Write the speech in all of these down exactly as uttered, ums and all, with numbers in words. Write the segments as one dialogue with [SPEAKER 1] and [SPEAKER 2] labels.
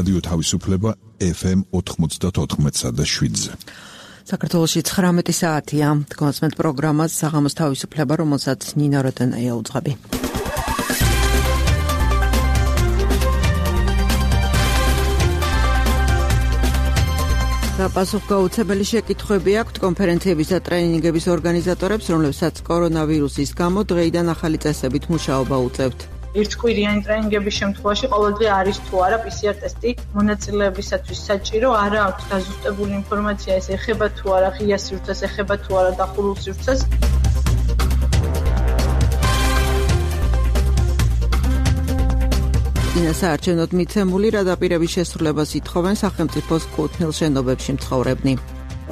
[SPEAKER 1] რადიო თავისუფლება ეფ ემ ოთხმოცდაოთხ და შვიდზე.
[SPEAKER 2] საქართველოში ცხრამეტი საათია. თქვენს პროგრამას საღამოს თავისუფლება, რომელსაც ნინა როდენაია უძღვები. პასუხგაუცებელი შეკითხვები აქვთ კონფერენციების და ტრენინგების ორგანიზატორებს, რომლებსაც კორონავირუსის გამო დღეიდან ახალი წესებით მუშაობა უწევთ.
[SPEAKER 3] ერთკვირიანი ტრენინგების შემთხვევაში ყოველდღე არის თუ არა პი სი არ ტესტი მონაწილეებისათვის საჭირო, არა აქვს დაზუსტებული ინფორმაცია, ეს ეხება თუ არა ღია სივრცეს, ეხება თუ არა დახურულ სივრცეს.
[SPEAKER 2] საარჩევნოდ მიცემული რადაპირების შესრულებას ითხოვენ სახელმწიფოს კუთვნილ შენობებში მცხოვრებნი.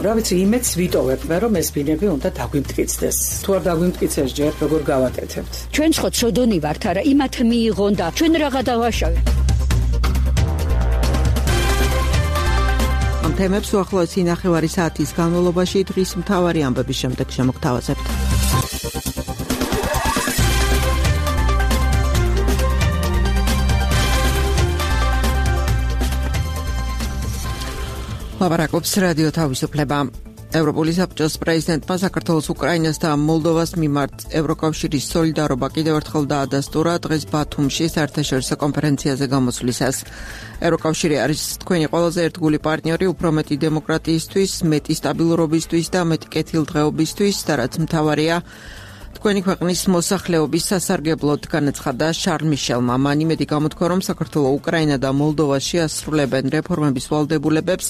[SPEAKER 4] რა ვიცი, იმედს ვიტოვებთ, რომ ეს ბინები უნდა დაგვიმტკიცდეს. თუ არ დაგვიმტკიცეს ჯერ, როგორ გავაკეთებთ?
[SPEAKER 5] ჩვენ ხო ცოდონი ვართ, არა, იმათ მიიღონ და ჩვენ რაღა დავაშავეთ.
[SPEAKER 2] ამ თემებს უახლოესი ნახევარი საათის განმავლობაში დღის მთავარი ამბების შემდეგ შემოგთავაზებთ. ლაპარაკობს რადიო თავისუფლება. ევროპული საბჭოს პრეზიდენტმა საქართველოს, უკრაინას და მოლდოვას მიმართ ევროკავშირის სოლიდარობა კიდევ ერთხელ დაადასტურა დღეს ბათუმში საერთაშორისო კონფერენციაზე გამოსვლისას. ევროკავშირი არის თქვენი ყველაზე ერთგული პარტნიორი უფრო მეტი დემოკრატიისთვის, მეტი სტაბილურობისთვის და მეტი კეთილდღეობისთვის და რაც მთავარია, თქვენი ქვეყნის მოსახლეობის სასარგებლოდ განაცხადა შარლ მიშელმა. მან იმედი გამოთქვა, რომ საქართველო, უკრაინა და მოლდოვა შეასრულებენ რეფორმების ვალდებულებებს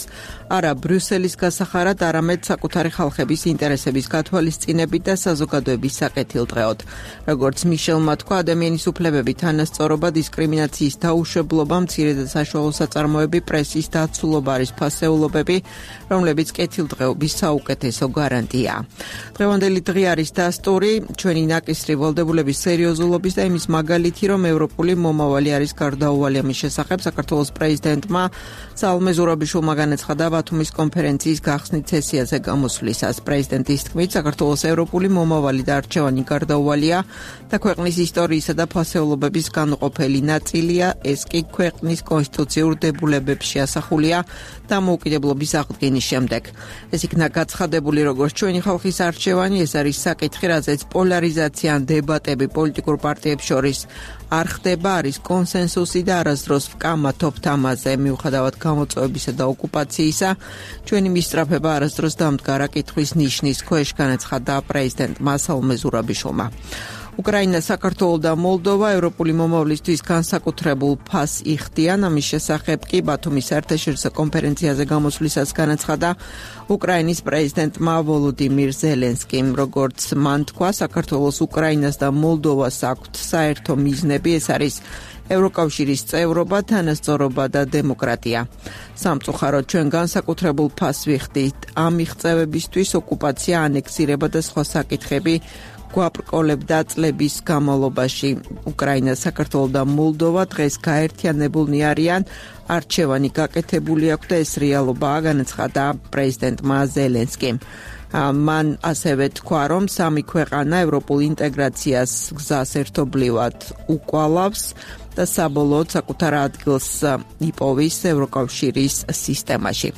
[SPEAKER 2] არა ბრიუსელის გასახარად, არამედ საკუთარი ხალხების ინტერესების გათვალისწინებით და საზოგადოების საკეთილდღეოდ. როგორც მიშელმა თქვა, ადამიანის უფლებები, თანასწორობა, დისკრიმინაციის დაუშვებლობა, მცირე და საშუალო საწარმოები, პრესის დაცულობა არის ფასეულობები, რომლებიც კეთილდღეობის საუკეთესო გარანტია. დღევანდელი დღე არის დასტური ჩვენი ნაკისრი ვალდებულების სერიოზულობის და იმის მაგალითი, რომ ევროპული მომავალი არის გარდაუვალი. ამის შესახებ საქართველოს პრეზიდენტმა სალომე ზურაბიშვილმა განაცხადა ბათუმის კონფერენციის გახსნით სესიაზე გამოსვლისას. პრეზიდენტის თქმით, საქართველოს ევროპული მომავალი და არჩევანი გარდაუვალია და ქვეყნის ისტორიისა და ფასეულობების განუყოფელი ნაწილია. ეს კი ქვეყნის კონსტიტუციურ დებულებებში ასახულია დამოუკიდებლობის აღდგენის შემდეგ. ეს იქნა გაცხადებული როგორც ჩვენი ხალხის არჩევანი, ეს არის საკითხი, რაზეც პოლარიზაცია ან დებატები პოლიტიკურ პარტიებს შორის არ ხდება, არის კონსენსუსი და არასდროს ვკამა თოფთ ამაზე. მიუხედავად გამოწვევებისა და ოკუპაციისა, ჩვენი მისწრაფება არასდროს დამდგარა კითხვის ნიშნის ქვეშ, განაცხადა პრეზიდენტმა სალომე ზურაბიშვილმა. უკრაინა, საქართველო და მოლდოვა ევროპული მომავლისთვის განსაკუთრებულ ფასს იხდიან. ამის შესახებ კი ბათუმის საერთაშორისო კონფერენციაზე გამოსვლისას განაცხადა უკრაინის პრეზიდენტმა ვოლოდიმირ ზელენსკიმ. როგორც მან თქვა, საქართველოს, უკრაინას და მოლდოვას აქვთ საერთო მიზნები, ეს არის ევროკავშირის წევრობა, თანასწორობა და დემოკრატია. სამწუხაროდ ჩვენ განსაკუთრებულ ფასს ვიხდით ამ მიღწევებისთვის, ოკუპაცია, ანექსირება და სხვა საკითხები გვაბრკოლებდა წლების განმავლობაში. უკრაინა, საქართველო და მოლდოვა დღეს გაერთიანებულნი არიან, არჩევანი გაკეთებული აქვს და ეს რეალობაა, განაცხადა პრეზიდენტმა ზელენსკიმ. მან ასევე თქვა, რომ სამი ქვეყანა ევროპულ ინტეგრაციას გზას ერთობლივად უკვალავს და საბოლოოდ საკუთარ ადგილს იპოვის ევროკავშირის სისტემაში.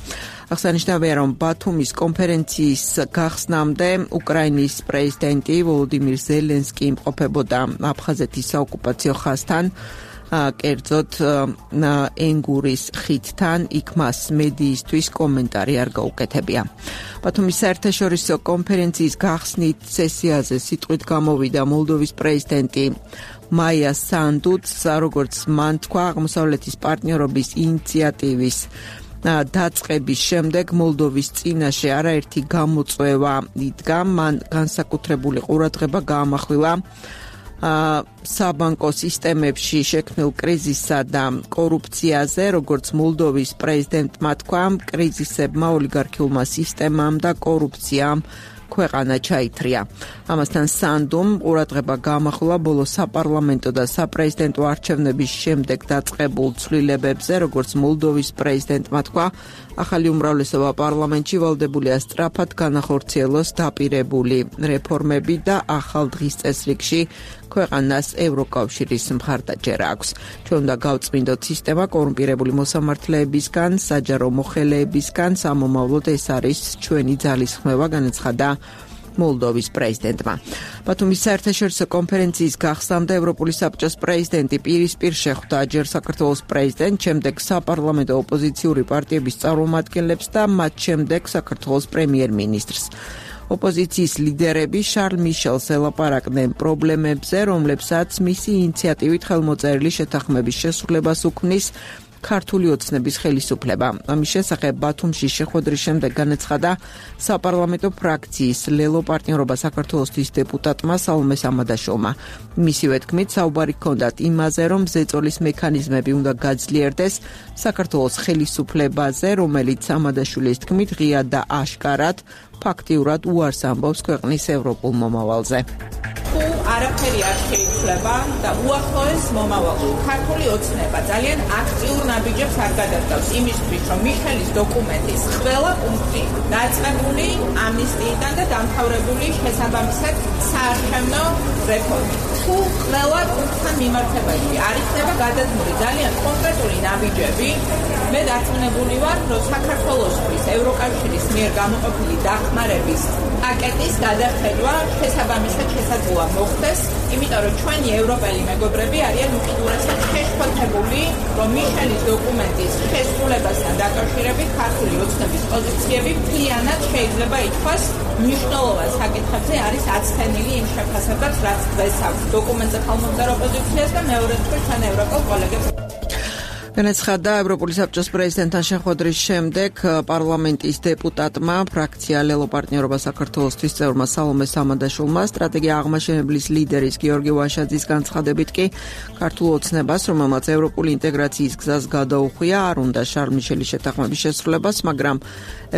[SPEAKER 2] აღსანიშნავია, რომ ბათუმის კონფერენციის გახსნამდე უკრაინის პრეზიდენტი ვოლოდიმირ ზელენსკი იმყოფებოდა აფხაზეთის საოკუპაციო ხაზთან, კერძოდ ენგურის ხიდთან, იქ მას მედიისთვის კომენტარი არ გაუკეთებია. ბათუმის საერთაშორისო კონფერენციის გახსნით სესიაზე სიტყვით გამოვიდა მოლდოვის პრეზიდენტი მაია სანდუც, როგორც მან თქვა, აღმოსავლეთის პარტნიორობის ინიციატივის დაწყების შემდეგ მოლდოვის წინაშე არაერთი გამოწვევა იდგა. მან განსაკუთრებული ყურადღება გაამახვილა საბანკო სისტემებში შექმნილ კრიზისსა და კორუფციაზე, როგორც მოლდოვის პრეზიდენტმა თქვა, კრიზისებმა, ოლიგარქიულმა სისტემამ და კორუფციამ ქვეყანა ჩაითრია. ამასთან სანდომ ყურადღება გამახვილა ბოლო საპარლამენტო და საპრეზიდენტო არჩევნების შემდეგ დაწყებულ ცვლილებებზე, როგორც მოლდოვის პრეზიდენტმა თქვა, ახალი უმრავლესობა პარლამენტში ვალდებულია სწრაფად განახორციელოს დაპირებული რეფორმები და ახალ დღის წესრიგში ქვეყანას ევროკავშირის მხარდაჭერა აქვს. ჩვენ უნდა გავწმინდოთ სისტემა კორუმპირებული მოსამართლეებისგან, საჯარო მოხელეებისგან, სამომავლოდ ეს არის ჩვენი ძალისხმევა, განაცხადა მოლდოვის პრეზიდენტმა. ბათუმის საერთაშორისო კონფერენციის გახსნამდე ევროპული საბჭოს პრეზიდენტი პირისპირ შეხვდა ჯერ საქართველოს პრეზიდენტს, შემდეგ საპარლამენტო ოპოზიციური პარტიების წარმომადგენლებს და მათ შემდეგ საქართველოს პრემიერ-მინისტრს. ოპოზიციის ლიდერები შარლ მიშელს ელაპარაკდნენ პრობლემებზე, რომლებსაც მისი ინიციატივით ხელმოწერილი შეთანხმების შესრულებას უქმნის ქართული ოცნების ხელისუფლება. ამის შესახებ ბათუმში შეხვედრის შემდეგ განაცხადა საპარლამენტო ფრაქციის ლელო პარტნიორობა საქართველოსთვის დეპუტატმა სალომე სამადაშოვმა. მისივე თქმით, საუბარი ჰქონდათ იმაზე, რომ ზეწოლის მექანიზმები უნდა გაძლიერდეს საქართველოს ხელისუფლებაზე, რომელიც სამადაშვილის თქმით ღია და აშკარად ფაქტიურად უარს ამბობს ქვეყნის ევროპულ მომავალზე.
[SPEAKER 6] თუ არაფერი არ შეიცვლება და უახლოეს მომავალში ქართული ოცნება ძალიან აქტიურ ნაბიჯებს არ გადასდავს იმისთვის, რომ მიშელის დოკუმენტის ყველა პუნქტი დაწყებული ამნისტიიდან და დამთავრებული შესაბამისად საარჩევნო რეფორმით. თუ ყველა პუნქტთან მიმართებაში არ იქნება გადადგმული ძალიან კონკრეტული ნაბიჯები, მე დარწმუნებული ვარ, რომ საქართველოსთვის ევროკავშირის მიერ გამოყოფილი დახმარების პაკეტის გადახედვა შესაბამისად შესაძლოა მოხდეს, იმიტომ რომ ჩვენი ევროპელი მეგობრები არიან უკიდურესად შეშფოთებული, რომ მიშელის დოკუმენტის შესრულებასთან დაკავშირებით ქართული ოცნების პოზიციები მთლიანად შეიძლება ითქვას მნიშვნელოვან საკითხებზე არის აცდენილი იმ შეფასებაც, რაც დღეს აქვს დოკუმენტზე ხელმომწერო ოპოზიციას და მეორე მხრივ თან ევროპელ კოლეგებს.
[SPEAKER 2] განაცხადა ევროპული საბჭოს პრეზიდენტთან შეხვედრის შემდეგ პარლამენტის დეპუტატმა ფრაქცია ლელო პარტნიორობა საქართველოსთვის წევრმა სალომე სამადაშვილმა სტრატეგია აღმაშენებლის ლიდერის გიორგი ვაშაძის განცხადებით კი ქართულ ოცნებას, რომელმაც ევროპული ინტეგრაციის გზას გადაუხვია, არ უნდა შარლ მიშელის შეთანხმების შესრულებას, მაგრამ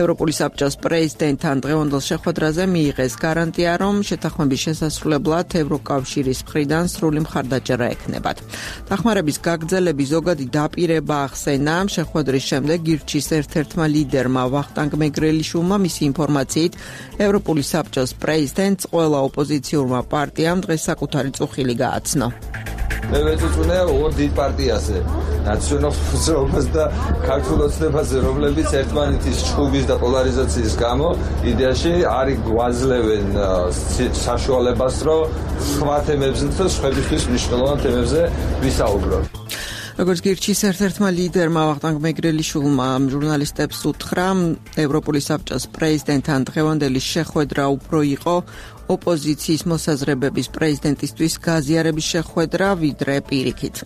[SPEAKER 2] ევროპული საბჭოს პრეზიდენტთან დღევანდელ შეხვედრაზე მიიღეს გარანტია, რომ შეთანხმების შესასრულებლად ევროკავშირის მხრიდან სრული მხარდაჭერა ექნებათ. დახმარების გაგრძელების ზოგადი დაპირება ახსენა შეხვედრის შემდეგ გირჩის ერთ-ერთმა ლიდერმა ვახტანგ მეგრელიშვილმა მისი ინფორმაციით ევროპული საბჭოს პრეზიდენტს ყველა ოპოზიციურმა პარტიამ დღეს საკუთარი წუხილი გააცნო.
[SPEAKER 7] მე ვეწუწუნე ორ დიდ პარტიაზე, ნაციონალურ მოძრაობას და ქართულ ოცნებაზე, რომლებიც ერთმანეთის ჭუბის და პოლარიზაციის გამო იდეაში არ გვაძლევენ საშუალებას, რომ სხვა თემებზე და სხვებისთვის მნიშვნელოვან თემებზე ვისაუბროთ.
[SPEAKER 2] როგორც გირჩის ერთ-ერთმა ლიდერმა ვახტანგ მეგრელიშვილმა ჟურნალისტებს უთხრა, ევროპული საბჭოს პრეზიდენტთან დღევანდელი შეხვედრა უფრო იყო ოპოზიციის მოსაზრებების პრეზიდენტისთვის გაზიარების შეხვედრა, ვიდრე პირიქით.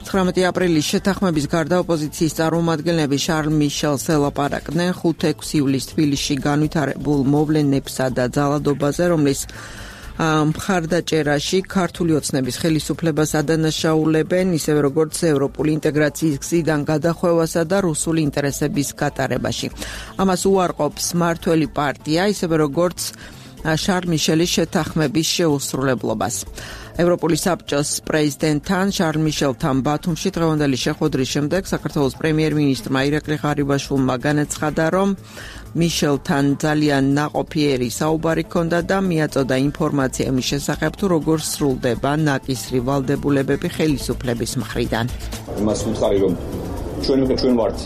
[SPEAKER 2] ცხრამეტი აპრილის შეთანხმების გარდა ოპოზიციის წარმომადგენლები შარლ მიშელს ელაპარაკდნენ ხუთ-ექვსი ივლისს თბილისში განვითარებულ მოვლენებსა და ძალადობაზე, რომლის მხარდაჭერაში ქართული ოცნების ხელისუფლებას ადანაშაულებენ, ისევე როგორც ევროპული ინტეგრაციის გზიდან გადახვევასა და რუსული ინტერესების გატარებაში. ამას უარყოფს მმართველი პარტია, ისევე როგორც შარლ მიშელის შეთანხმების შეუსრულებლობას. ევროპული საბჭოს პრეზიდენტთან შარლ მიშელთან ბათუმში დღევანდელი შეხვედრის შემდეგ საქართველოს პრემიერ-მინისტრმა ირაკლი ღარიბაშვილმა განაცხადა, რომ მიშელთან ძალიან ნაყოფიერი საუბარი ჰქონდა და მიაწოდა ინფორმაცია იმის შესახებ, თუ როგორ სრულდება ნაკისრი ვალდებულებები ხელისუფლების მხრიდან.
[SPEAKER 8] იმას ვუთხარი, რომ ჩვენ ჩვენ ვართ,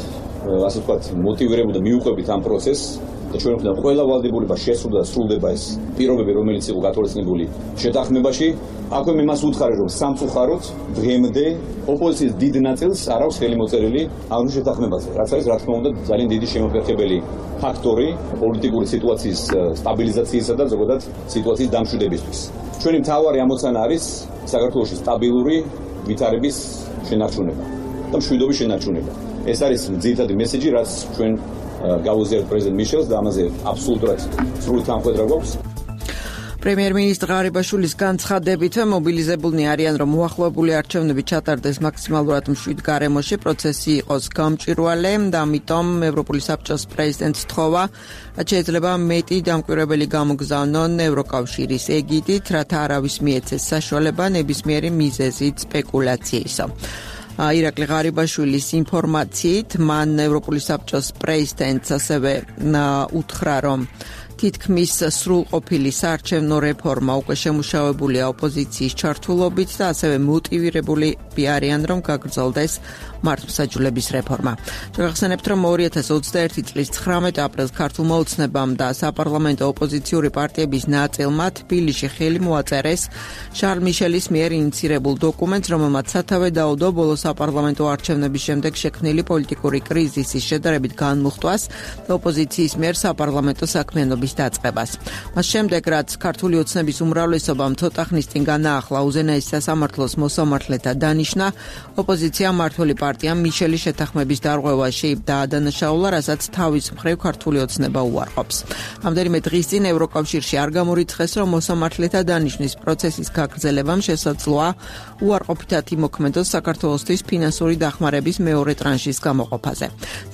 [SPEAKER 8] ასე ვთქვათ, მოტივირებული და მიუყვებით ამ პროცესს და ჩვენ ვქნა ყველა ვალდებულება შესრულდა და სრულდება ეს პირობები, რომელიც იყო გათვალისწინებული შეთანხმებაში. აქვე მე მას ვუთხარი, რომ სამწუხაროდ დღემდე ოპოზიციის დიდ ნაწილს არ აქვს ხელი მოწერილი ამ შეთანხმებაზე, რაც არის რა თქმა უნდა ძალიან დიდი შემოფერხებელი ფაქტორი პოლიტიკური სიტუაციის სტაბილიზაციისა და ზოგადად სიტუაციის დამშვიდებისთვის. ჩვენი მთავარი ამოცანა არის საქართველოში სტაბილური ვითარების შენარჩუნება და მშვიდობის შენარჩუნება. ეს არის ძირითადი მესეჯი, რაც ჩვენ გავუზიარეთ პრეზიდენტ მიშელს და ამაზე აბსოლუტურად სრული თანხმობა გვაქვს.
[SPEAKER 2] პრემიერ-მინისტრი ღარიბაშვილის განცხადებით მობილიზებულნი არიან, რომ მოახლოებული არჩევნები ჩატარდეს მაქსიმალურად მშვიდ გარემოში, პროცესი იყოს გამჭვირვალე და ამიტომ ევროპული საბჭოს პრეზიდენტს თხოვა, რაც შეიძლება მეტი დამკვირვებელი გამოგზავნონ ევროკავშირის ეგიდით, რათა არავის მიეცეს საშუალება ნებისმიერი მიზეზით სპეკულაციისო. ირაკლი ღარიბაშვილის ინფორმაციით, მან ევროპული საბჭოს პრეზიდენტს ასევე უთხრა, რომ თითქმის სრულყოფილი საარჩევნო რეფორმა უკვე შემუშავებულია ოპოზიციის ჩართულობით და ასევე მოტივირებული არიან, რომ გაგრძელდეს მართლმსაჯულების რეფორმა. შევახსენებთ, რომ ორი ათას ოცდაერთი წლის ცხრამეტ აპრილს ქართულმა ოცნებამ და საპარლამენტო ოპოზიციური პარტიების ნაწილმა თბილისში ხელი მოაწერეს შარლ მიშელის მიერ ინიცირებულ დოკუმენტს, რომელმაც სათავე დაუდო ბოლო საპარლამენტო არჩევნების შემდეგ შექმნილი პოლიტიკური კრიზისის შედარებით განმუხტვას და ოპოზიციის მიერ საპარლამენტო საქმიანობის დაწყებას. მას შემდეგ, რაც ქართული ოცნების უმრავლესობამ ცოტა ხნის წინ განაახლა უზენაესი სასამართლოს მოსამართლეთა დანიშნა, ოპოზიციამ მმართველი პარტიამ მიშელის შეთანხმების დარღვევაში დაადანაშაულა, რასაც თავის მხრივ ქართული ოცნება უარყოფს. ამდენიმე დღის წინ ევროკავშირში არ გამორიცხეს, რომ მოსამართლეთა დანიშნის პროცესის გაგრძელებამ შესაძლოა უარყოფითად იმოქმედოს საქართველოსთვის ფინანსური დახმარების მეორე ტრანშის გამოყოფაზე.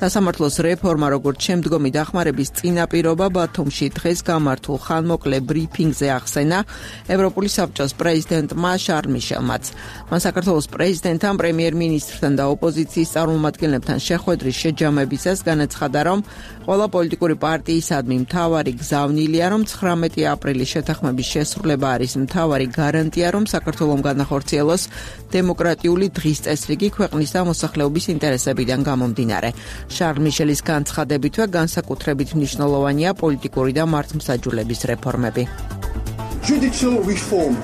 [SPEAKER 2] სასამართლოს რეფორმა, როგორც შემდგომი დახმარების წინაპირობა ბათუმში დღეს გამართულ ხანმოკლე ბრიფინგზე ახსენა ევროპული საბჭოს პრეზიდენტმა შარლ მიშელმაც. მან საქართველოს პრეზიდენტთან, პრემიერ-მინისტრთან და ოპოზიციის წარმომადგენლებთან შეხვედრის შეჯამებისას განაცხადა, რომ ყველა პოლიტიკური პარტიისადმი მთავარი გზავნილია, რომ ცხრამეტი აპრილის შეთანხმების შესრულება არის მთავარი გარანტია, რომ საქართველომ განახორციელოს დემოკრატიული დღის წესრიგი ქვეყნის და მოსახლეობის ინტერესებიდან გამომდინარე. შარლ მიშელის განცხადებითვე განსაკუთრებით მნიშვნელოვანია პოლიტიკური და მართლმსაჯულების რეფორმები.
[SPEAKER 9] Judicial reform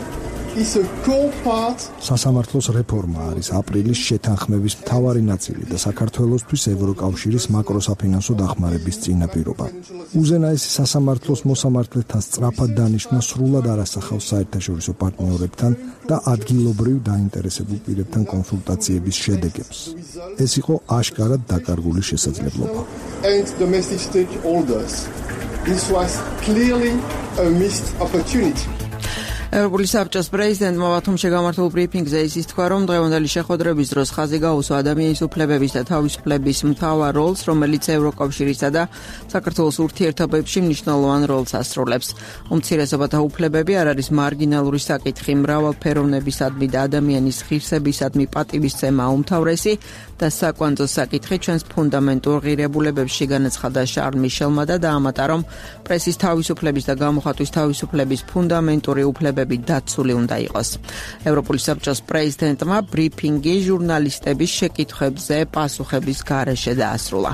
[SPEAKER 9] is a core part.
[SPEAKER 10] სასამართლოს რეფორმა არის აპრილის შეთანხმების მთავარი ნაწილი და საქართველოსთვის ევროკავშირის მაკროსაფინანსო დახმარების წინაპირობა. უზენაესი სასამართლოს მოსამართლეთა სწრაფად დანიშვნა სრულად არასახავს საერთაშორისო პარტნიორებთან და ადგილობრივ დაინტერესებულ პირებთან კონსულტაციების შედეგებს. ეს იყო აშკარად დაკარგული შესაძლებლობა.
[SPEAKER 9] And domestic stakeholders. This was clearly a missed opportunity.
[SPEAKER 2] ევროპული საბჭოს პრეზიდენტმა ბათუმში გამართულ ბრიფინგზე ისიც თქვა, რომ დღევანდელი შეხვედრების დროს ხაზი გაუსვა ადამიანის უფლებების და თავისუფლების მთავარ როლს, რომელიც ევროკავშირისა და საქართველოს ურთიერთობებში მნიშვნელოვან როლს ასრულებს. უმცირესობათა უფლებები არ არის მარგინალური საკითხი, მრავალფეროვნებისადმი და ადამიანის ღირსებისადმი პატივისცემა უმთავრესი და საკვანძო საკითხი ჩვენს ფუნდამენტურ ღირებულებებში, განაცხადა შარლ მიშელმა და დაამატა, რომ პრესის თავისუფლების და გამოხატვის თავისუფლების ფუნდამენტური უფლებები დაცული უნდა იყოს. ევროპული საბჭოს პრეზიდენტმა ბრიფინგი ჟურნალისტების შეკითხვებზე პასუხების გარეშე დაასრულა.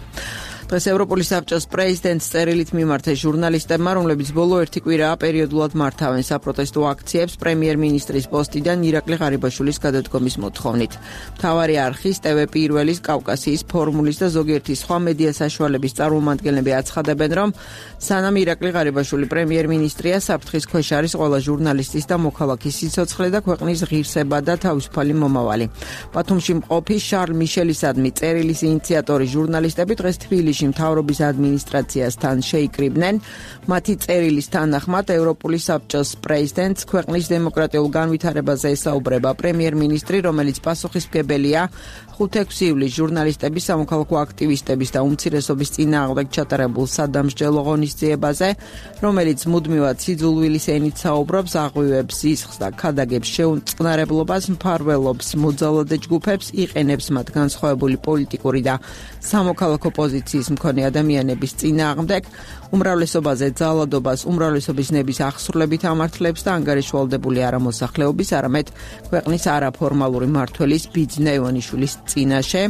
[SPEAKER 2] დღეს ევროპული საბჭოს პრეზიდენტს წერილით მიმართა ჟურნალისტებმა, რომლებიც ბოლო ერთი კვირაა პერიოდულად მართავენ საპროტესტო აქციებს პრემიერ-მინისტრის პოსტიდან ირაკლი ღარიბაშვილის გადადგომის მოთხოვნით. მთავარი არხის, ტე ვე პირველის, კავკასიის ფორმულის და ზოგიერთი სხვა მედია საშუალების წარმომადგენლები აცხადებენ, რომ სანამ ირაკლი ღარიბაშვილი პრემიერ-მინისტრია, საფრთხის ქვეშ არის ყველა ჟურნალისტის და მოქალაქის სიცოცხლე და ქვეყნის ღირსება და თავისუფალი მომავალი. ბათუმში მყოფი შარლ მიშელისადმი წერილის ინიციატორი ჟურნალისტები დღეს თბილისში მთავრობის ადმინისტრაციასთან შეიკრიბნენ. მათი წერილის თანახმად ევროპული საბჭოს პრეზიდენტს ქვეყნის დემოკრატიულ განვითარებაზე ესაუბრება პრემიერ-მინისტრი, რომელიც პასუხისმგებელია ხუთი-ექვსი ივლისს ჟურნალისტების, სამოქალაქო აქტივისტების და უმცირესობის წინააღმდეგ ჩატარებულ სადამსჯელო ღონისძიებაზე, რომელიც მუდმივად სიძულვილის ენით საუბრობს, აღვივებს სისხლს და ქადაგებს შეუწყნარებლობას, მფარველობს მოძალადე ჯგუფებს, იყენებს მათ განსხვავებული პოლიტიკური და სამოქალაქო პოზიციის მქონე ადამიანების წინააღმდეგ, უმრავლესობაზე ძალადობას, უმრავლესობის ნების აღსრულებით ამართლებს და ანგარიშვალდებული არა მოსახლეობის, არამედ ქვეყნის არაფორმალური მმართველის ბიძინა ივანიშვილის წინაშე,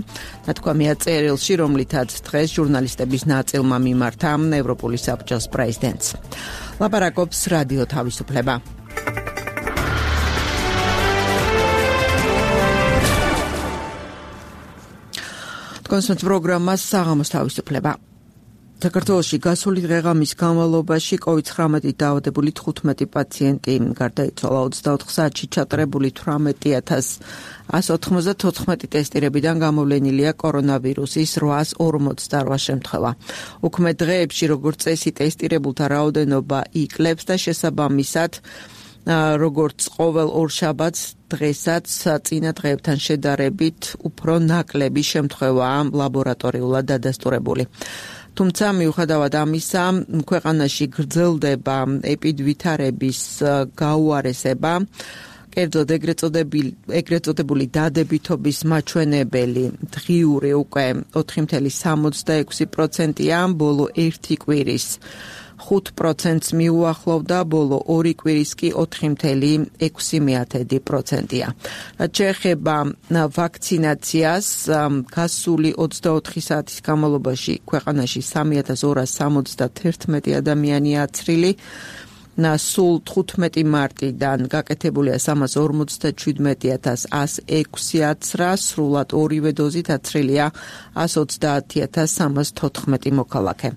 [SPEAKER 2] ნათქვამია წერილში, რომლითაც დღეს ჟურნალისტების ნაწილმა მიმართა ევროპული საბჭოს პრეზიდენტს. ლაპარაკობს რადიო თავისუფლება. კონსულტ პროგრამა საღამოს თავისუფლება. საქართველოში გასული დღეღამის განმავლობაში კოვიდ ცხრამეტით დაავადებული თხუთმეტი პაციენტი გარდაიცვალა. ოცდაოთხ საათში ჩატარებული თვრამეტი ათას ათს ოთხმოცდათოთხმეტი ტესტირებიდან გამოვლენილია კორონავირუსის რვაას ორმოცდარვა შემთხვევა. უქმე დღეებში როგორც წესი ტესტირებულთა რაოდენობა იკლებს და შესაბამისად როგორც ყოველ ორშაბათს დღესაც წინა დღეებთან შედარებით უფრო ნაკლები შემთხვევაა ლაბორატორიულად დადასტურებული. თუმცა მიუხედავად ამისა, ქვეყანაში გრძელდება ეპიდვითარების გაუარესება, კერძოდ ეგრეთ წოდებული დადებითობის მაჩვენებელი დღიური უკვე ოთხი წუთი სამოცდაექვსი პროცენტია, ბოლო ერთი კვირის ხუთ პროცენტს მიუახლოვდა, ბოლო ორი კვირის კი ოთხი წუთი ექვსი პროცენტია. რაც შეეხება ვაქცინაციას, გასული ოცდაოთხი საათის განმავლობაში ქვეყანაში სამი ათას ორას სამოცდათერთმეტი ადამიანია აცრილი. სულ თხუთმეტი მარტიდან გაკეთებულია სამას ორმოცდაჩვიდმეტი ათას ასი ექვსი აცრა, სრულად ორივე დოზით აცრილია ას ოცდაათი ათას სამას თოთხმეტი მოქალაქე.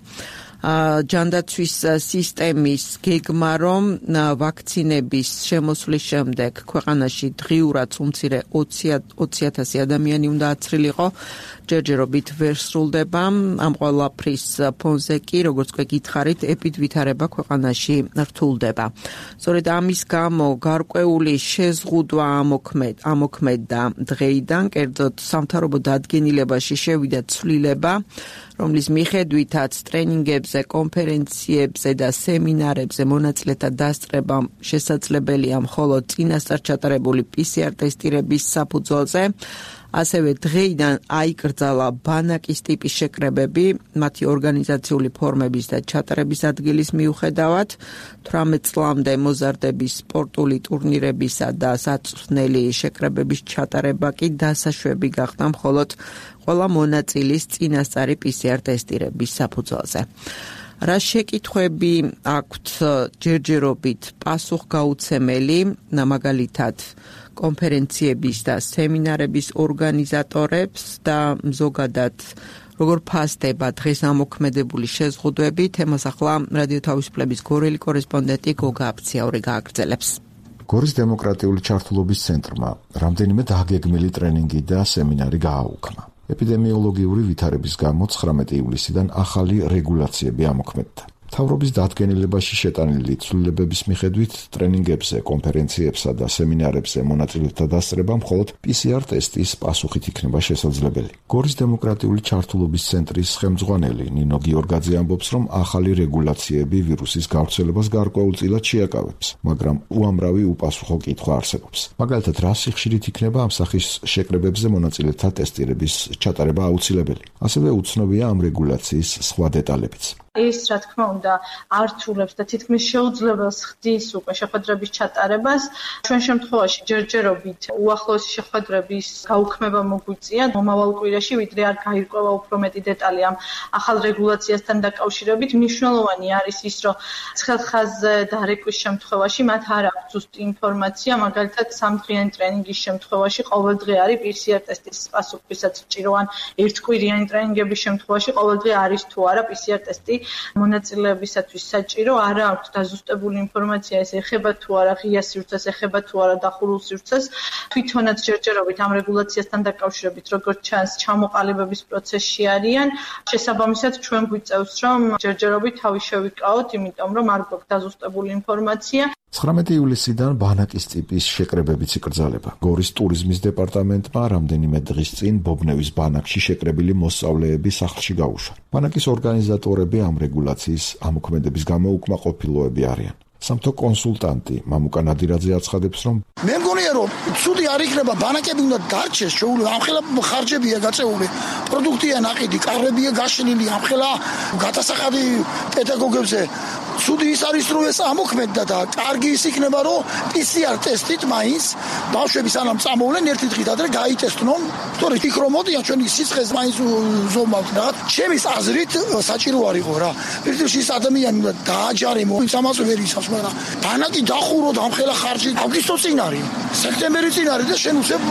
[SPEAKER 2] ჯანდაცვის სისტემის გეგმა, რომ ვაქცინების შემოსვლის შემდეგ ქვეყანაში დღიურად უმცირე ოცი ათასი ადამიანი უნდა აცრილიყო, ჯერჯერობით ვერ სრულდება. ამ ყველაფრის ფონზე კი, როგორც უკვე გითხარით, ეპიდვითარება ქვეყანაში რთულდება. სწორედ ამის გამო გარკვეული შეზღუდვა ამოქმედდა დღეიდან, კერძოდ სამთავრობო დადგენილებაში შევიდა ცვლილება, რომლის მიხედვითაც ტრენინგებზე, კონფერენციებზე და სემინარებზე მონაწილეთა დასწრება შესაძლებელია მხოლოდ წინასწარ ჩატარებული პი სი არ ტესტირების საფუძველზე. ასევე დღეიდან აიკრძალა ბანაკის ტიპის შეკრებები, მათი ორგანიზაციული ფორმების და ჩატარების ადგილის მიუხედავად. თვრამეტ წლამდე მოზარდების სპორტული ტურნირებისა და საწვრთნელი შეკრებების ჩატარება კი დასაშვები გახდა მხოლოდ ყველა მონაწილის წინასწარი პი სი არ ტესტირების საფუძველზე. რა შეკითხვები აქვთ ჯერჯერობით პასუხგაუცემელი, მაგალითად კონფერენციების და სემინარების ორგანიზატორებს და ზოგადად როგორ ფასდება დღეს ამოქმედებული შეზღუდვები, თემას ახლა რადიო თავისუფლების გორელი კორესპონდენტი გოგა აფციაური გააგრძელებს.
[SPEAKER 1] გორის დემოკრატიული ჩართულობის ცენტრმა რამდენიმე დაგეგმილი ტრენინგი და სემინარი გააუქმა. ეპიდემიოლოგიური ვითარების გამო ცხრამეტი ივლისიდან ახალი რეგულაციები ამოქმედდა. მთავრობის დადგენილებაში შეტანილი ცვლილებების მიხედვით ტრენინგებზე, კონფერენციებსა და სემინარებზე მონაწილეთა დასწრება მხოლოდ პი სი არ ტესტის პასუხით იქნება შესაძლებელი. გორის დემოკრატიული ჩართულობის ცენტრის ხელმძღვანელი ნინო გიორგაძე ამბობს, რომ ახალი რეგულაციები ვირუსის გავრცელებას გარკვეულწილად შეაკავებს, მაგრამ უამრავი უპასუხო კითხვა არსებობს. მაგალითად, რა სიხშირით იქნება ამ სახის შეკრებებზე მონაწილეთა ტესტირების ჩატარება აუცილებელი. ასევე უცნობია ამ რეგულაციის სხვა დეტალებიც.
[SPEAKER 3] ის, რა თქმა უნდა, ართულებს და თითქმის შეუძლებელს ხდის უკვე შეხვედრების ჩატარებას. ჩვენ შემთხვევაში ჯერჯერობით უახლოესი შეხვედრების გაუქმება მოგვიწია მომავალ კვირაში, ვიდრე არ გაირკვევა უფრო მეტი დეტალი ამ ახალ რეგულაციასთან დაკავშირებით. მნიშვნელოვანი არის ის, რომ ცხელხაზზე დარეკვის შემთხვევაში მათ არ აქვს ზუსტი ინფორმაცია, მაგალითად სამდღიანი ტრენინგის შემთხვევაში ყოველდღე არის პი სი არ ტესტის პასუხისას ჭირო, ან ერთკვირიანი ტრენინგების შემთხვევაში ყოველდღე არის თუ არა პი სი არ ტესტი მონაწილეებისათვის საჭირო. არა აქვს დაზუსტებული ინფორმაცია, ეს ეხება თუ არა ღია სივრცეს, ეხება თუ არა დახურულ სივრცეს. თვითონაც ჯერჯერობით ამ რეგულაციასთან დაკავშირებით, როგორც ჩანს, ჩამოყალიბების პროცესში არიან. შესაბამისად, ჩვენ გვიწევს, რომ ჯერჯერობით თავი შევიკავოთ, იმიტომ რომ არ გვაქვს დაზუსტებული ინფორმაცია.
[SPEAKER 1] ცხრამეტი ივლისიდან ბანაკის ტიპის შეკრებებიც იკრძალება. გორის ტურიზმის დეპარტამენტმა რამდენიმე დღის წინ ბობნევის ბანაკში შეკრებილი მოსწავლეები სახლში გაუშვა. ბანაკის ორგანიზატორები ამ რეგულაციის ამოქმედების გამო უკმაყოფილოები არიან. სამთო კონსულტანტი მამუკა ნადირაძე აცხადებს, რომ
[SPEAKER 11] მე მგონია, რომ ცუდი არ იქნება, ბანაკები უნდა დარჩეს, შეუძლია, ამხელა ხარჯებია გაწეული, პროდუქტია ნაყიდი, კარებია გაშლილი, ამხელა გადასახადი პედაგოგებზე. ცუდი ის არის, რომ ეს ამოქმედდა და კარგი ის იქნება, რომ პი სი არ ტესტით მაინც ბავშვები სანამ წამოვლენ ერთი დღით ადრე გაიტესტნონ, თორე ფიქრო მოდიან ჩვენი სიცხეს მაინც ზომავთ რა. ჩემის აზრით საჭირო არ იყო რა. პირდაპირ ის ადამიანი უნდა დააჯარიმო, ის ამას ვერ ისავს, მაგრამ ბანაკი დახურო და ამხელა ხარჯი აგვისტოს წინ არის. სექტემბერი წინ არის და შენ უცებ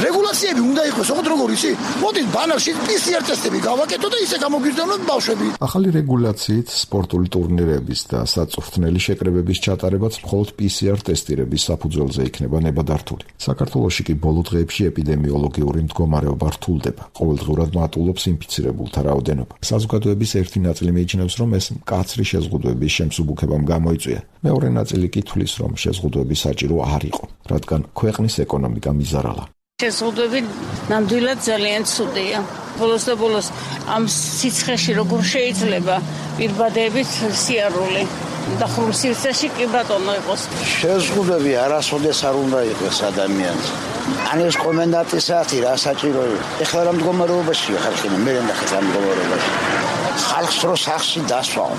[SPEAKER 11] რეგულაციები უნდა იყოს, ოღონდ როგორ იცი? მოდით ბანაკში პი სი არ ტესტები გავაკეთო და ისე გამოგვიძნოთ ბავშვები.
[SPEAKER 1] ახალი რეგულაციით სპორტული ტურნირების და საწვრთნელი შეკრებების ჩატარებაც მხოლოდ პი სი არ ტესტირების საფუძველზე იქნება ნებადართული. საქართველოში კი ბოლო დღეებში ეპიდემიოლოგიური მდგომარეობა რთულდება. ყოველდღურად მატულობს ინფიცირებულთა რაოდენობა. საზოგადოების ერთი ნაწილი მიიჩნევს, რომ ეს მკაცრი შეზღუდვების შემსუბუქებამ გამოიწვია. მეორე ნაწილი კი თვლის, რომ შეზღუდვები საჭირო არ იყო, რადგან ქვეყნის ეკონომიკა მიზარალა.
[SPEAKER 12] შეზღუდვები ნამდვილად ძალიან ცუდია. ბოლოს და ბოლოს ამ სიცხეში როგორ შეიძლება პირბადებით სიარული დახურულ სივრცეში კი ბატონო იყოს.
[SPEAKER 13] შეზღუდვები არასოდეს არ უნდა იყოს ადამიანს. ან ეს კომენდანტის საათი რა საჭირო იყო. ეხლა რა მდგომარეობაშია ხალხი, მე რა ნახეთ ამ მდგომარეობაში. ხალხს რო სახში დასვაო.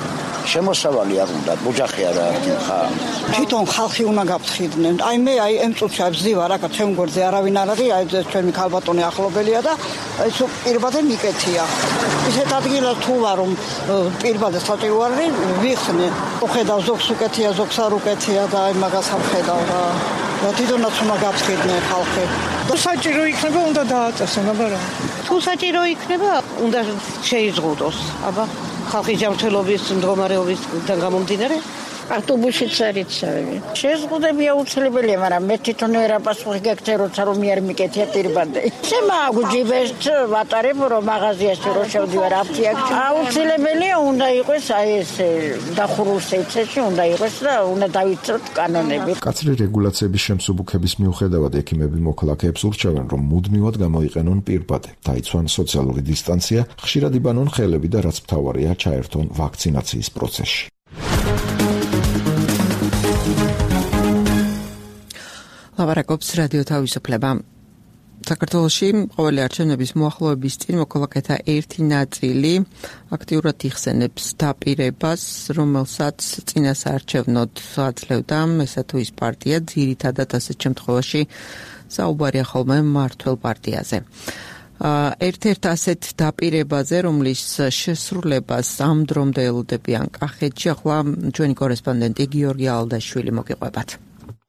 [SPEAKER 13] შემოსავალი არ უნდა, ოჯახი არ არის ხა.
[SPEAKER 14] თვითონ ხალხი უნდა გაფრთხილდნენ. აი მე აი ამ წუთში ვზივარ, აკა ჩემ გვერდზე არავინ არ არის, აი ჩვენი ქალბატონი ახლობელია და ეს პირბადე მიკეთია. ისეთ ადგილას თუ ვარ რომ პირბადე საჭირო არის, ვიხსნე. უხედავ ზოგს უკეთია, ზოგს არ უკეთია და აი მაგას ამხედავ რა. და თვითონაც უნდა გაფრთხილდნენ ხალხი.
[SPEAKER 15] თუ საჭირო იქნება, უნდა დააწესონ, აბა.
[SPEAKER 12] თუ საჭირო იქნება, უნდა შეიზღუდოს. აბა ხალხის ჯანმრთელობის მდგომარეობისგან გამომდინარე ავტობუსით სარიცავები. შეზღუდვები აუცილებელია, მაგრამ მე თვითონ ვერ აპასუხი გეკეთე, როცა რომ მე არ მიკეთია პირბადე. შემა გუჯიბეს ვატარებ რომ მაღაზიაში რო შევდივარ აფთიაქში. აუცილებელია უნდა იყოს აი ეს დახურულ სივრცეში უნდა იყოს და უნდა დავიცოთ კანონები.
[SPEAKER 1] კაცრი რეგულაციების შემსუბუქების მიუხედავად ექიმები მოქალაქეებს ურჩევენ, რომ მუდმივად გამოიყენონ პირბადე, დაიცვან სოციალური დისტანცია, ხშირად იბანონ ხელები და რაც მთავარია, ჩაერთონ ვაქცინაციის პროცესში.
[SPEAKER 2] ლაპარაკობს რადიო თავისუფლება. საქართველოში ყოველი არჩევნების მოახლოების წინ მოქალაქეთა ერთი ნაწილი აქტიურად იხსენებს დაპირებას, რომელსაც წინასაარჩევნოდ აძლევდა ესა თუ ის პარტია, ძირითადად ასეთ შემთხვევაში საუბარია ხოლმე მმართველ პარტიაზე. ერთ-ერთ ასეთ დაპირებაზე, რომლის შესრულებას ამ დრომდე ელოდებიან კახეთში, ახლა ჩვენი კორესპონდენტი გიორგი ალდაშვილი მოგიყვებათ.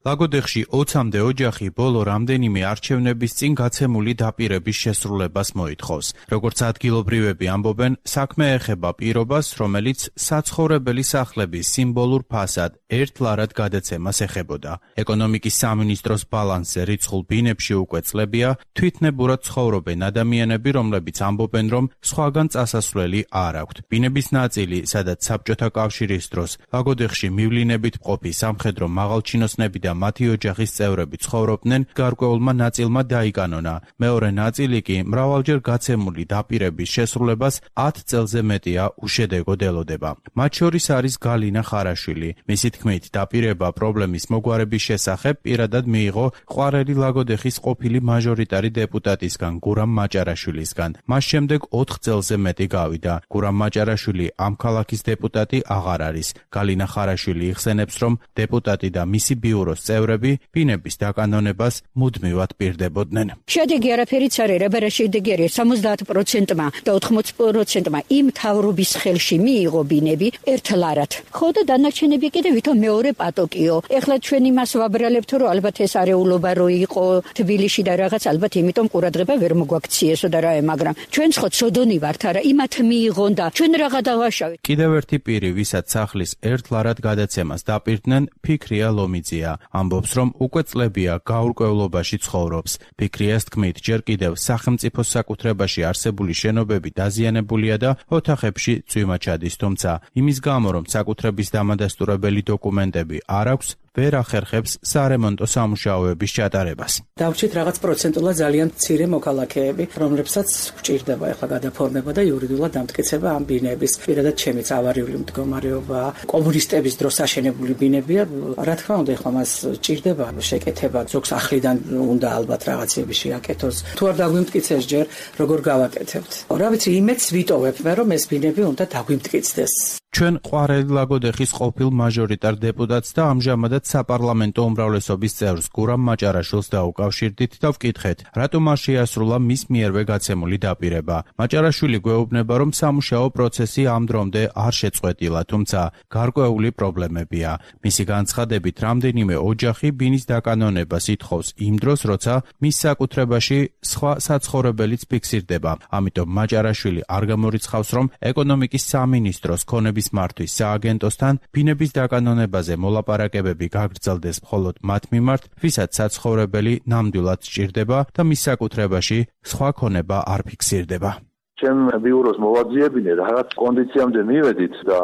[SPEAKER 16] ლაგოდეხში ოცამდე ოჯახი ბოლო რამდენიმე არჩევნების წინ გაცემული დაპირების შესრულებას მოითხოვს. როგორც ადგილობრივები ამბობენ, საქმე ეხება პირობას, რომელიც საცხოვრებელი სახლების სიმბოლურ ფასად ერთლარად გადაცემას ეხებოდა. ეკონომიკის სამინისტროს ბალანსზე რიცხულ ბინებში უკვე წლებია, თვითნებურად ცხოვრობენ ადამიანები, რომლებიც ამბობენ, რომ სხვაგან წასასვლელი არ აქვთ. ბინების ნაწილი, სადაც საბჭოთა კავშირის დროს ლაგოდეხში მივლინებით მყოფი სამხედრო მაღალჩინოსნები და მათი ოჯახის წევრები ცხოვრობდნენ, გარკვეულმა ნაწილმა დაიკანონა. მეორე ნაწილი კი მრავალჯერ გაცემული დაპირების შესრულებას ათ წელზე მეტია უშედეგოდ ელოდება. მათ შორის არის გალინა ხარაშვილი. მისი თქმით, დაპირება პრობლემის მოგვარების შესახებ პირადად მიიღო ყვარელი ლაგოდეხის ყოფილი მაჟორიტარი დეპუტატისგან გურამ მაჭარაშვილისგან. მას შემდეგ ოთხ წელზე მეტი გავიდა. გურამ მაჭარაშვილი ამ ქალაქის დეპუტატი აღარ არის. გალინა ხარაშვილი იხსენებს, რომ დეპუტატი და მისი ბიუროს წევრები ბინების დაკანონებას მუდმივად პირდებოდნენ.
[SPEAKER 5] შედეგი არაფერიც არ არის, რა შედეგი არის სამოცდაათ პროცენტმა და ოთხმოცი პროცენტმა იმ თავრობის ხელში მიიღო ბინები ერთლარად. ხო და დანარჩენები კიდე ვითომ მეორე პატოკიო. ეხლა ჩვენ იმას ვაბრალებთ, რომ ალბათ ეს არეულობა რო იყო თბილისში და რაღაც ალბათ იმიტომ ყურადღება ვერ მოგვაქციესო და რა, მაგრამ ჩვენც ხო ცოდონი ვართ, არა იმათ მიიღონ და ჩვენ რაღა დავაშავეთ.
[SPEAKER 16] კიდევ ერთი პირი, ვისაც სახლის ერთლარად გადაცემას დაპირდნენ, ფიქრია ლომიძია. ამბობს, რომ უკვე წლებია გაურკვევლობაში ცხოვრობს. ფიქრიას თქმით, ჯერ კიდევ სახელმწიფოს საკუთრებაში არსებული შენობები დაზიანებულია და ოთახებში წვიმა ჩადის, თუმცა იმის გამო, რომ საკუთრების დამადასტურებელი დოკუმენტები არ აქვს, ვერ ახერხებს სარემონტო სამუშაოების ჩატარებას.
[SPEAKER 4] დავჭით რაღაც პროცენტულად ძალიან მცირე მოქალაქეები, რომლებსაც გვჭირდება ახლა გადაფორმება და იურიდიულად დამტკიცება ამ ბინების. პირადად ჩემიც ავარიული მდგომარეობა, კომუნისტების დროს აშენებული ბინებია. რა თქმა უნდა, ახლა მას ჭირდება შეკეთება, ზოგს ახლიდან უნდა ალბათ რაღაცები შეაკეთოს. თუ არ დაგვიმტკიცეს ჯერ, როგორ გავაკეთებთ? რა ვიცი, იმედს ვიტოვებ მე, რომ ეს ბინები უნდა დაგვიმტკიცდეს.
[SPEAKER 16] ჩვენ ყვარელი ლაგოდეხის ყოფილ მაჟორიტარ დეპუტატს და ამჟამადაც საპარლამენტო უმრავლესობის წევრს გურამ მაჭარაშვილს დაუკავშირდით და ვკითხეთ, რატომ არ შეასრულა მის მიერვე გაცემული დაპირება. მაჭარაშვილი გვეუბნება, რომ სამუშაო პროცესი ამ დრომდე არ შეწყვეტილა, თუმცა გარკვეული პრობლემებია. მისი განცხადებით, რამდენიმე ოჯახი ბინის დაკანონებას ითხოვს იმ დროს, როცა მის საკუთრებაში სხვა საცხოვრებელიც ფიქსირდება. ამიტომ მაჭარაშვილი არ გამორიცხავს, რომ ეკონომიკის სამინისტროს ქონების მართვის სააგენტოსთან ბინების დაკანონებაზე მოლაპარაკებები გაგრძელდეს მხოლოდ მათ მიმართ, ვისაც საცხოვრებელი ნამდვილად სჭირდება და მის საკუთრებაში სხვა ქონება არ ფიქსირდება.
[SPEAKER 17] ჩემ ბიუროს მოვაძიებინე რაღაც კონდიციამდე მივედით და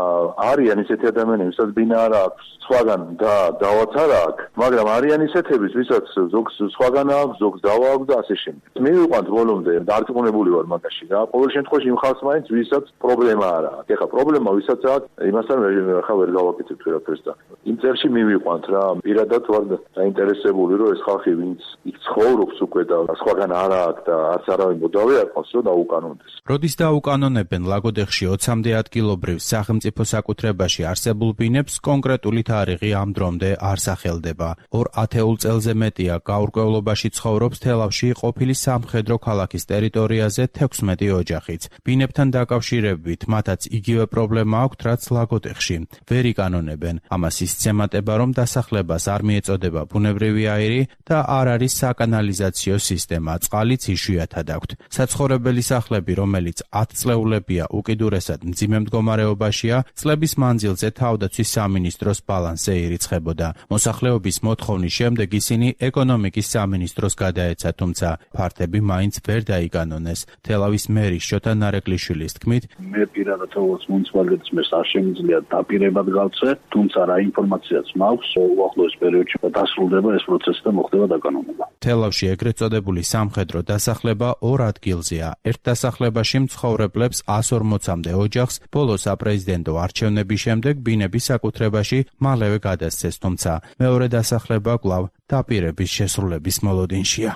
[SPEAKER 17] არიან ისეთი ადამიანები, ვისაც ბინა არ აქვს, სხვაგან და დავაც არ აქვს, მაგრამ არიან ისეთების, ვისაც ზოგს სხვაგან აქვს, ზოგს დავა აქვს და ასე შემდეგ. მივიყვანთ ბოლომდე, დარწმუნებული ვარ მაგაში რა. ყოველ შემთხვევაში იმ ხალხს მაინც ვისაც პრობლემა არ აქვს. ეხლა პრობლემა ვისაც აქვს, იმასთან ხა ვერ გავაკეთებთ ვერაფერს და იმ წერში მივიყვანთ რა. პირადად ვარ დაინტერესებული, რომ ეს ხალხი ვინც იქ ცხოვრობს უკვე და სხვაგან არ აქვს და არც არავინ მოდავე არ ყავს, რომ დაუკანონდეს.
[SPEAKER 16] როდის დაუკანონებენ ლაგოდეხში ოცამდე ადგილობრივ სახელმწიფო საკუთრებაში არსებულ ბინებს, კონკრეტული თარიღი ამ დრომდე არ სახელდება. ორ ათეულ წელზე მეტია გაურკვევლობაში ცხოვრობს თელავში ყოფილი სამხედრო ქალაქის ტერიტორიაზე თექვსმეტი ოჯახიც. ბინებთან დაკავშირებით მათაც იგივე პრობლემა აქვთ, რაც ლაგოდეხში. ვერ იკანონებენ. ამას ისცემატება, რომ დასახლებას არ მიეწოდება ბუნებრივი აირი და არ არის საკანალიზაციო სისტემა, წყალიც იშვიათად აქვთ. საცხოვრებელი სახლები, რომელიც ათი წლეულებია უკიდურესად მძიმე მდგომარეობაშია, წლების მანძილზე თავდაცვის სამინისტროს ბალანსზე ირიცხებოდა. მოსახლეობის მოთხოვნის შემდეგ ისინი ეკონომიკის სამინისტროს გადაეცა, თუმცა ფართები მაინც ვერ დაიკანონეს. თელავის მერის შოთა ნარეკლიშვილის თქმით,
[SPEAKER 18] მე პირადად როგორც მუნიციპალიტეტის მერს არ შემიძლია დაპირებად გავცე, თუმცა რა ინფორმაციაც მაქვს, უახლოეს პერიოდში დასრულდება ეს პროცესი და მოხდება დაკანონება.
[SPEAKER 16] თელავში ეგრეთ წოდებული სამხედრო დასახლება ორ ადგილზეა. ერთ დასახლებაში მცხოვრებლებს ას ორმოცამდე ოჯახს ბოლო საპრეზიდენტო არჩევნების შემდეგ ბინების საკუთრებაში მალევე გადასცეს, თუმცა მეორე დასახლება კვლავ დაპირების შესრულების მოლოდინშია.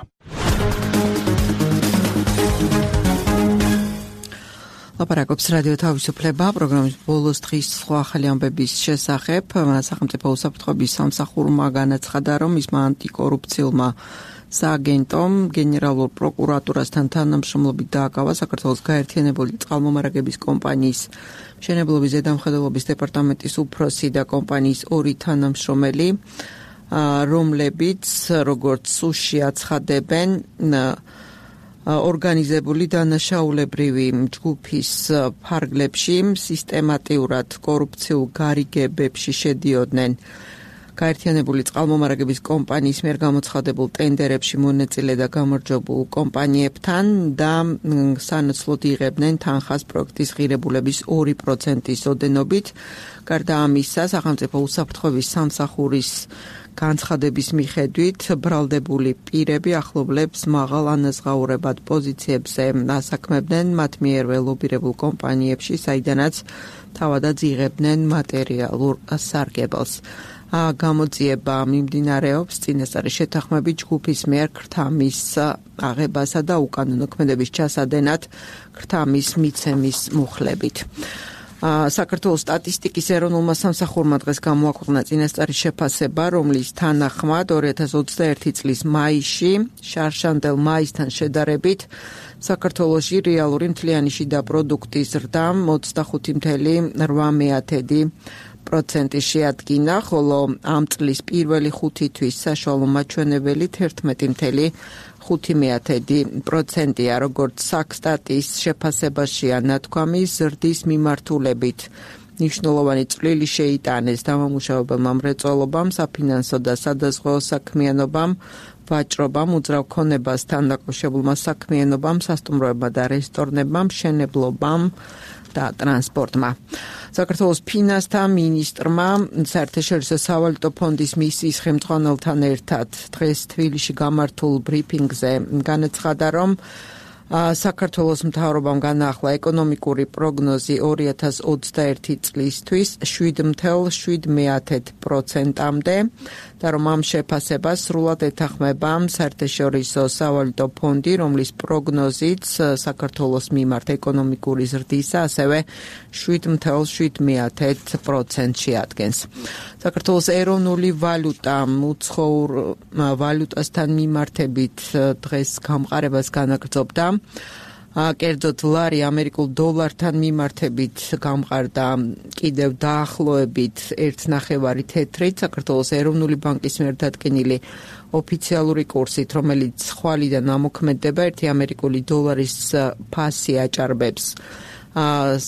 [SPEAKER 2] ლაპარაკობს რადიო თავისუფლება, პროგრამის ბოლოს დღის სხვა ახალი ამბების შესახებ. სახელმწიფო უსაფრთხოების სამსახურმა განაცხადა, რომ მისმა ანტიკორუფციულმა სააგენტომ გენერალურ პროკურატურასთან თანამშრომლობით დააკავა საქართველოს გაერთიანებული წყალმომარაგების კომპანიის მშენებლობის ზედამხედველობის დეპარტამენტის უფროსი და კომპანიის ორი თანამშრომელი, რომლებიც როგორც სუში აცხადებენ, ორგანიზებული დანაშაულებრივი ჯგუფის ფარგლებში სისტემატიურად კორუფციულ გარიგებებში შედიოდნენ. გაერთიანებული წყალმომარაგების კომპანიის მიერ გამოცხადებულ ტენდერებში მონაწილე და გამარჯვებულ კომპანიებთან და სანაცვლოდ იღებდნენ თანხას პროექტის ღირებულების ორი პროცენტის ოდენობით. გარდა ამისა, სახელმწიფო უსაფრთხოების სამსახურის განცხადების მიხედვით ბრალდებული პირები ახლობლებს მაღალ ანაზღაურებად პოზიციებზე ასაქმებდნენ მათ მიერვე ლობირებულ კომპანიებში, საიდანაც თავადაც იღებდნენ მატერიალურ სარგებელს. გამოძიება მიმდინარეობს წინასწარი შეთანხმებით ჯგუფის მიერ ქრთამის აღებასა და უკანონო ქმედების ჩასადენად ქრთამის მიცემის მუხლებით. საქართველოს სტატისტიკის ეროვნულმა სამსახურმა დღეს გამოაქვეყნა წინასწარი შეფასება, რომლის თანახმად ორი ათას ოცდაერთი წლის მაისში შარშანდელ მაისთან შედარებით საქართველოში რეალური მთლიანი შიდა პროდუქტის ზრდა ოცდახუთი წუთი რვა პროცენტი შეადგინა, ხოლო ამ წლის პირველი ხუთი თვის საშუალო მაჩვენებელი თერთმეტი ხუთი პროცენტია, როგორც საქსტატის შეფასებაშია ნათქვამი, ზრდის მიმართულებით მნიშვნელოვანი წვლილი შეიტანეს დამამუშავებელმა მრეწველობამ, საფინანსო და სადაზღვეო საქმიანობამ, ვაჭრობამ, უძრავ ქონებასთან დაკავშირებულმა საქმიანობამ, სასტუმროებმა და რესტორნებმა, მშენებლობამ და ტრანსპორტმა. საქართველოს ფინანსთა მინისტრმა საერთაშორისო სავალუტო ფონდის მისიის ხელმძღვანელთან ერთად დღეს თბილისში გამართულ ბრიფინგზე განაცხადა, რომ საქართველოს მთავრობამ განაახლა ეკონომიკური პროგნოზი ორი ათას ოცდაერთი წლისთვის შვიდ ათეულ შვიდ პროცენტამდე და რომ ამ შეფასებას სრულად ეთანხმება საერთაშორისო სავალუტო ფონდი, რომლის პროგნოზით საქართველოს მიმართ ეკონომიკური ზრდისა ასევე შვიდ ათეულ შვიდ პროცენტში ადგენს. საქართველოს ეროვნული ვალუტა უცხოურ ვალუტასთან მიმართებით დღეს გამყარებას განაგრძობდა. კერძოდ ლარი ამერიკულ დოლართან მიმართებით გამყარდა კიდევ დაახლოებით ერთ ნახევარი თეთრით საქართველოს ეროვნული ბანკის მიერ დადგენილი ოფიციალური კურსით, რომელიც ხვალიდან ამოქმედდება ერთი ამერიკული დოლარის ფასი აჭარბებს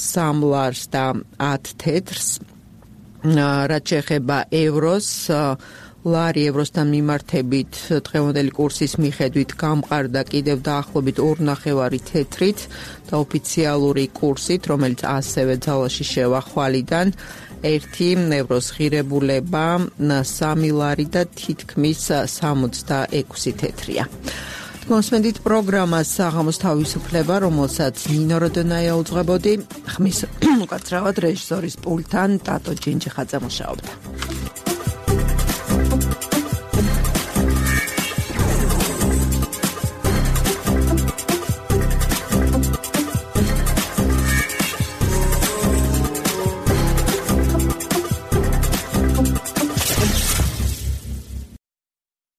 [SPEAKER 2] სამ ლარს და ათ თეთრს. რაც შეეხება ევროს, ლარი ევროსთან მიმართებით დღევანდელი კურსის მიხედვით გამყარდა კიდევ დაახლოებით ორ ნახევარი თეთრით და ოფიციალური კურსით, რომელიც ასევე ძალაში შევა ხვალიდან, ერთი ევროს ღირებულება სამი ლარი და თითქმის სამოცდაექვსი თეთრია. მოსმენდით პროგრამას საღამოს თავისუფლება, რომელსაც ნინო როდონაია უძღვებოდი, ხმის უკაცრავად რეჟისორის პულტთან ტატო ჯინჯიხაძე მუშაობდა.